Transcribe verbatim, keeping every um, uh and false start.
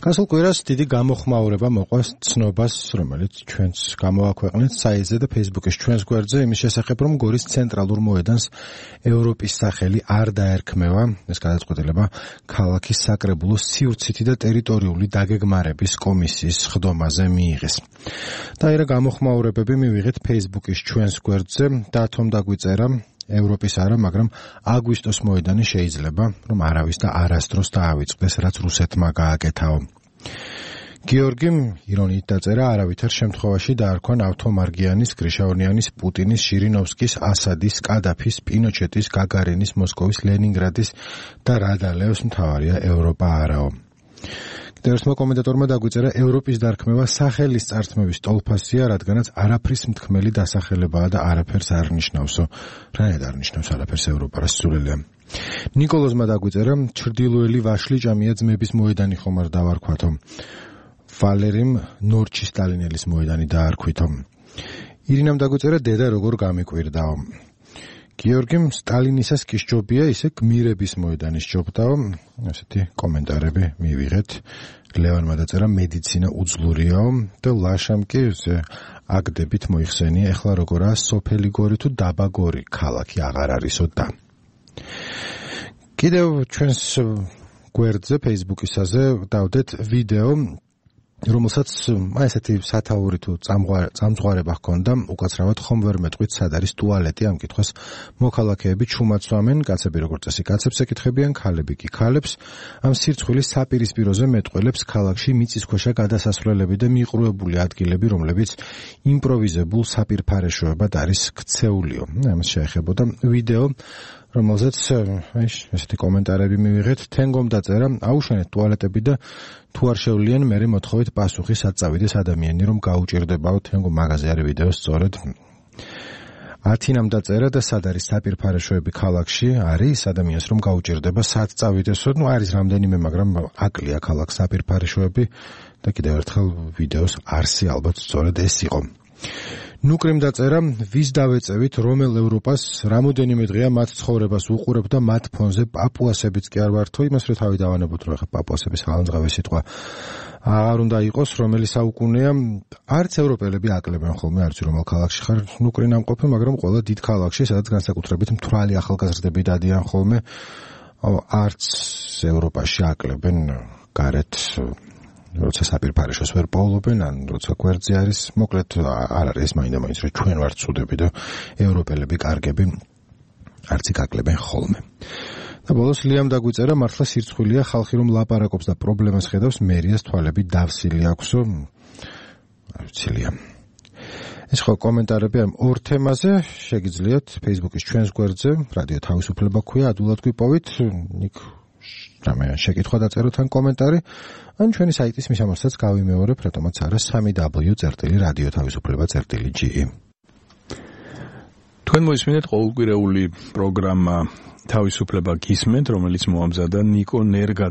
გასულ კვირას დიდი გამოხმაურება მოყვა ცნობას, რომელიც ჩვენს გამოაქვეყნეთ საიტზე და Facebook-ის ჩვენს გვერდზე იმის შესახებ, რომ გორის ცენტრალურ მოედანს ევროპის სახელი არ დაერქმევა. ეს გადაწყვეტილება ქალაქის საკრებულოს სივრცითი და ტერიტორიული დაგეგმარების კომისიის სხდომაზე მიიღეს. დაერა გამოხმაურებები მივიღეთ Facebook-ის ჩვენს გვერდზე და თომ დაგვიწერა ევროპის არა, მაგრამ აგვისტოს მოედანი შეიძლება, რომ არავის და არასდროს დაავიწყდეს, რაც რუსეთმა გააკეთაო. გიორგიმ ირონიით დაწერა, არავითარ შემთხვევაში დაარქვა ნავთო მარგიანის, გრიშაონიანის, პუტინის, შირინოვსკის, ასადის, კადაფის, პინოჩეტის, გაგარინის, მოსკოვის, ლენინგრადის და რადალევს მთავარია ევროპა არაო. ერთმა კომენტატორმა დაგვიწერა, ევროპის დარქმევა სახელის წართმევის ტოლფასია, რადგანაც არაფრის მთქმელი დასახელებაა და არაფერს არ ნიშნავსო. რანაირად არ ნიშნავს არაფერს ევროპა, რა სულელია. ნიკოლოზმა დაგვიწერა, ჩრდილოელი ვაშლი ჭამია ძმების მოედანი ხომ არ დავარქვათო. ვალერიმ ნორჩი სტალინელის მოედანი დაარქვითო. ირინამ დაგვიწერა, დედა როგორ გამიკვირდაო. გიორგიმ სტალინისას კი სჯობია, ისე გმირების მოედანის სჯობდაო. ასეთი კომენტარები მივიღეთ. ლევანმა დაწერა, მედიცინა უძლურიაო და ლაშამ კი აგდებით მოიხსენია, ეხლა როგორაა სოფელი გორი თუ დაბა გორი, ქალაქი აღარ არისო და. კიდევ ჩვენს გვერდზე Facebook-ისაზე დავდეთ ვიდეო, რომელსაც აი ესეთი სათაური თუ წამძღვარება ჰქონდა, უკაცრავად ხომ ვერ მეტყვით სად არის ტუალეტი, ამ კითხვას მოქალაქეები ჩუმაცვამენ, კაცები როგორც წესი კაცებს ეკითხებიან, ქალები კი ქალებს. ამ სირცხვილის საპირისპიროზე მეტყველებს ქალაქში მიწისქვეშა გადასასვლელები და მიყრუებული ადგილები, რომლებიც იმპროვიზებულ საპირფარეშოებად არის ქცეულიო. ამას შეეხებოდა ვიდეო, რომელზეც ესეთი კომენტარები მივიღეთ. თენგომ დაწერა, აუშენეთ ტუალეტები და თუ არ შევლიან, მერე მოთხოვეთ პასუხი, სად წავიდეს ადამიანი, რომ გაუჭირდებაო. თენგო მაღაზია არის ვიდეო სწორედ. ათინამ დაწერა და სად არის საპირფარეშოები ქალაქში, არის ადამიანს რომ გაუჭირდება, სად წავიდესო. ნუ არის რამდენიმე, მაგრამ აკლია ქალაქს საპირფარეშოები და კიდევ ერთხელ ვიდეოს არსი ალბათ სწორედ ეს იყო. ნუკრიმ დაწერა, ვის დავეწევით, რომელ ევროპას, რამოდენიმე დღეა მათ ცხოვრებას უყურებ და მათ ფონზე პაპუასებიც კი არ ვართო, იმას რო თავი დავანებოთ, რომ ახლა პაპუასების ხალხმძღვანელი სიტყვა აღარ უნდა იყოს, რომელი საუკუნეა, არც ევროპელები აკლებენ ხოლმე, არც რომელ ქალაქში ხარ, ნუკრი ნამყოფი, მაგრამ ყველა დიდ ქალაქში, სადაც განსაკუთრებით მთვრალი ახალგაზრდები დადიან ხოლმე, არც ევროპაში აკლებენ გარეთ როცა საპირფარეშოს ვერ პოულობენ, ან როცა გვერდზე არის, მოკლედ არ არის ეს მაინდა-მაინც, რომ ჩვენ ვართ ცუდები და ევროპელები კარგები არც იკაკლებენ ხოლმე. და ბოლოს ლიამ დაგვიწერა, მართლა სირცხვილია, ხალხი რომ ლაპარაკობს და პრობლემას ხედავს, მერიას თვალები დავსილი აქვსო. არ ვიცი, ლიამ. ეს ხო კომენტარები ამ ორ თემაზე შეგიძლიათ Facebook-ის ჩვენს გვერდზე, რადიო თავისუფლება ქვია, ადვილად გვიპოვით, იქ რამე შეკითხვა დაწეროთ ან კომენტარი, ან ჩვენი საიტის მისამართსაც გავიმეორებ, რატომაც არა სამი დაბლიუ წერტილი რადიო თავისუფლება წერტილი ჯი ი. თქვენ მოისმინეთ ყოველკვირეული პროგრამა თავისუფლება გისმენთ, რომელიც მოამზადა ნიკო ნერგაძე.